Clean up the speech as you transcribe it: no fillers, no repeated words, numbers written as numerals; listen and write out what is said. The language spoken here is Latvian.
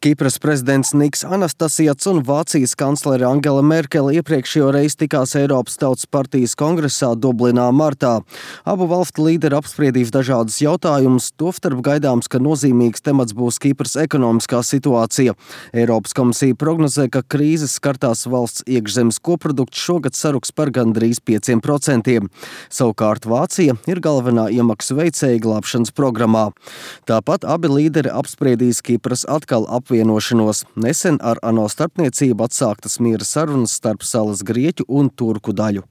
Kipras prezidents Niks Anastasijats un Vācijas kanclere Angela Merkele iepriekšējo reizi tikās Eiropas Tautas partijas kongresā Dublinā martā. Abu valstu līderi apspriedīs dažādus jautājumus, tostarp gaidāms, ka nozīmīgs temats būs Kipras ekonomiskā situācija. Eiropas komisija prognozē, ka krīzes skartās valsts iekšzemes koprodukts šogad saruks par gandrīz 5%. Savukārt Vācija ir galvenā iemaksu veicēja glābšanas programmā. Tāpat abi līderi apspriedīs Kipras atkal apvienošanos. Nesen ar ANO starpniecību atsāktas miera sarunas starp salas grieķu un turku daļu.